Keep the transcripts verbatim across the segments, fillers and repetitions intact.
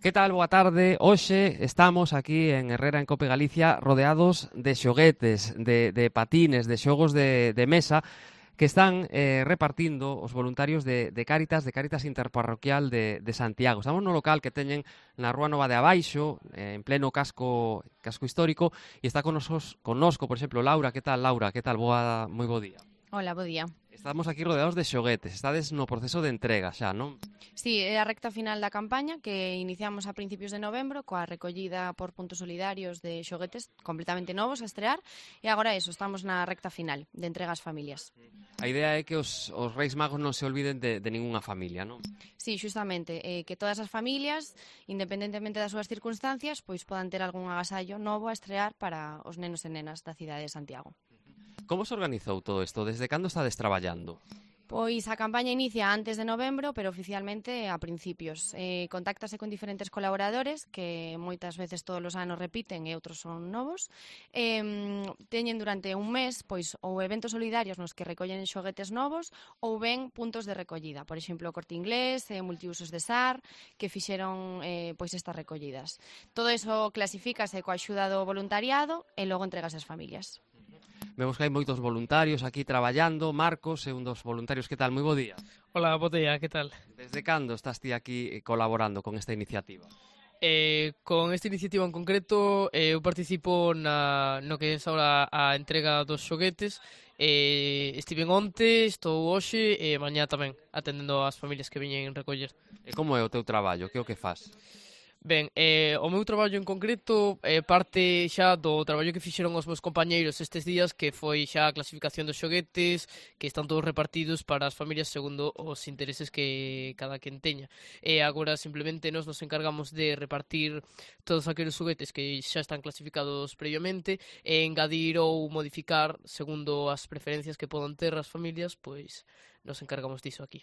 Que tal? Boa tarde. Hoxe estamos aquí en Herrera, en Cope Galicia, rodeados de xoguetes, de, de patines, de xogos de, de mesa que están eh, repartindo os voluntarios de, de Cáritas, de Cáritas Interparroquial de, de Santiago. Estamos no local que teñen na Rúa Nova de Abaixo, eh, en pleno casco casco histórico, e está con nosos, connosco, por exemplo, Laura. Que tal, Laura? Que tal? Boa, moi bo día. Hola, bo día. Estamos aquí rodeados de xoguetes. Estades no proceso de entrega xa, non? Sí, é a recta final da campaña que iniciamos a principios de novembro coa recollida por puntos solidarios de xoguetes completamente novos a estrear e agora eso, estamos na recta final de entrega ás familias. A idea é que os, os Reis Magos non se olviden de, de ningunha familia, non? Sí, justamente, eh, que todas as familias, independentemente das súas circunstancias, pois podan ter algún agasallo novo a estrear para os nenos e nenas da cidade de Santiago. Como se organizou todo isto? Desde cando estades traballando? Pois a campaña inicia antes de novembro, pero oficialmente a principios. Eh, contáctase con diferentes colaboradores que moitas veces todos os anos repiten e outros son novos. Eh, teñen durante un mes pois ou eventos solidarios nos que recollen xoguetes novos ou ben puntos de recollida. Por exemplo, o Corte Inglés, eh, Multiusos de S A R, que fixeron eh, pois estas recollidas. Todo iso clasifícase coa axuda do voluntariado e logo entregas ás familias. Vemos que hai moitos voluntarios aquí traballando. Marcos é un dos voluntarios. Que tal? Moi bo día. Hola, bo día, que tal? Desde cando estás ti aquí colaborando con esta iniciativa? Eh, con esta iniciativa en concreto, eh, eu participo na, no que é ahora a entrega dos xoguetes. Eh, estiven onte, estou hoxe e mañá tamén atendendo as familias que viñen recoller. E como é o teu traballo? Que é o que faz? Ben, eh, o meu traballo en concreto é eh, parte xa do traballo que fixeron os meus compañeiros estes días, que foi xa a clasificación dos xoguetes, que están todos repartidos para as familias segundo os intereses que cada quen teña. E agora simplemente nos nos encargamos de repartir todos aqueles xoguetes que xa están clasificados previamente e engadir ou modificar segundo as preferencias que podan ter as familias, pois nos encargamos diso aquí.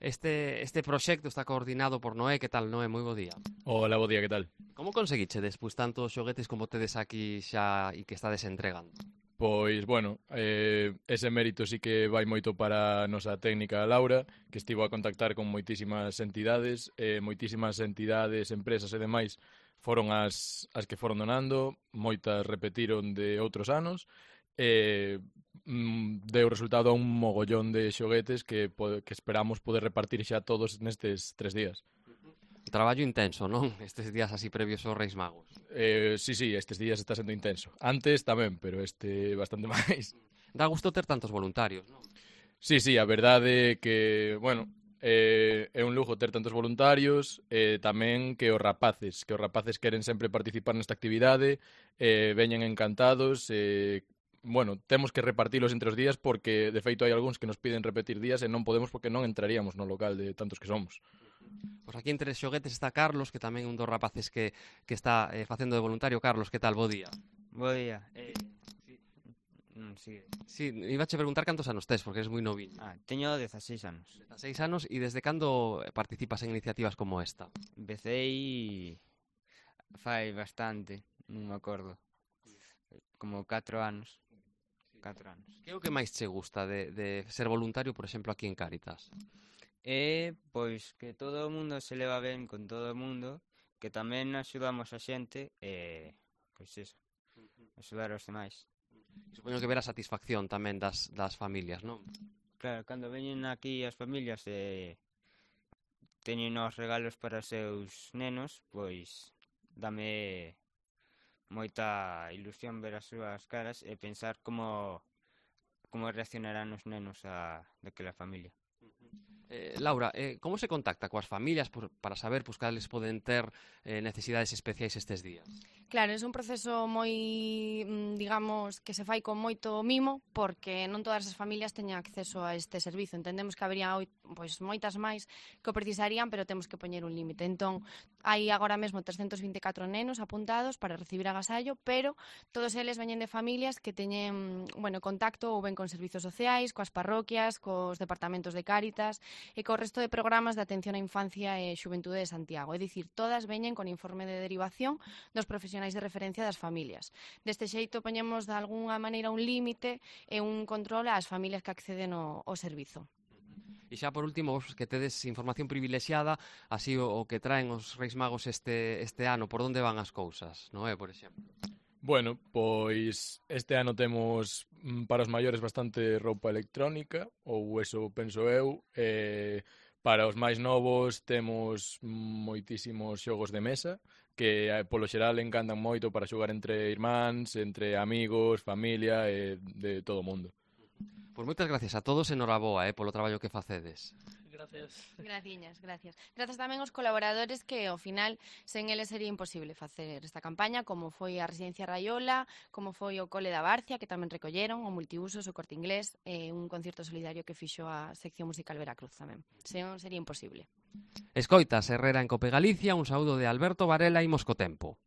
Este, este proxecto está coordinado por Noé. Que tal, Noé? Moi bo día. Hola, bo día, que tal? Como conseguiche despois tantos xoguetes como tedes aquí xa e que estades entregando? Pois, bueno, eh, ese mérito sí que vai moito para a nosa técnica Laura, que estivo a contactar con moitísimas entidades, eh, moitísimas entidades, empresas e demais foron as, as que foron donando, moitas repetiron de outros anos, e mm, deu resultado a un mogollón de xoguetes que, que esperamos poder repartir xa todos nestes tres días. Traballo intenso, non? Estes días así previos aos Reis Magos. Eh, sí, sí, estes días está sendo intenso. Antes tamén, pero este bastante máis. Dá gusto ter tantos voluntarios, non? Sí, sí, a verdade é que, bueno, eh, é un lujo ter tantos voluntarios, e eh, tamén que os rapaces, que os rapaces queren sempre participar nesta actividade, eh, veñen encantados, e... Eh, bueno, temos que repartilos entre os días porque, de feito, hai algúns que nos piden repetir días e non podemos porque non entraríamos no local de tantos que somos. Pois aquí entre xoguetes está Carlos, que tamén é un dos rapaces que, que está eh, facendo de voluntario. Carlos, que tal? Bo día. Bo día. Eh, sí. Mm, sigue. Sí, iba a che preguntar cantos anos tes, porque eres moi noviño. Ah, teño dezaseis anos. dezaseis anos, e desde cando participas en iniciativas como esta? Empecei fai bastante, non me acordo. Como catro anos. catro anos. Que é o que máis che gusta de, de ser voluntario, por exemplo, aquí en Cáritas? E, pois, que todo o mundo se leva ben con todo o mundo, que tamén axudamos a xente, e, pois iso, axudar aos demais. Supoño que ver a satisfacción tamén das, das familias, non? Claro, cando veñen aquí as familias e teñen os regalos para os seus nenos, pois, dame moita ilusión ver as súas caras e pensar como como reaccionarán os nenos a daquela familia. Eh, Laura, eh, como se contacta coas familias por, para saber pues, cales poden ter eh, necesidades especiais estes días? Claro, é un proceso moi, digamos, que se fai con moito mimo, porque non todas as familias teñen acceso a este servizo. Entendemos que habería pois, moitas máis que o precisarían, pero temos que poñer un límite. Entón, hai agora mesmo trescentos vinte e catro nenos apuntados para recibir agasallo, pero todos eles veñen de familias que teñen, bueno, contacto ou ben con servizos sociais, coas parroquias, cos departamentos de Cáritas e co resto de programas de atención á infancia e xuventude de Santiago. É dicir, todas veñen con informe de derivación dos profesionais de referencia das familias. Deste xeito, poñemos de algunha maneira un límite e un control ás familias que acceden ao, ao servizo. E xa por último, vos que tedes información privilexiada, así o, o que traen os Reis Magos este, este ano, por onde van as cousas, non é, por exemplo? Bueno, pois este ano temos mm, para os maiores bastante roupa electrónica, ou eso penso eu, e para os máis novos temos moitísimos xogos de mesa, que eh, polo xeral encantan moito para xogar entre irmáns, entre amigos, familia e de todo o mundo. Pois moitas gracias a todos e noraboa eh, polo traballo que facedes. Gracias. Graciñas, gracias. Grazas tamén aos colaboradores que, ao final, sen eles sería imposible facer esta campaña, como foi a Residencia Raiola, como foi o Cole da Barcia, que tamén recolleron, o Multiusos, o Corte Inglés, e un concierto solidario que fixo a sección musical Veracruz tamén. Sen sería imposible. Escoitas Herrera en Cope Galicia, un saúdo de Alberto Varela e Moscotempo.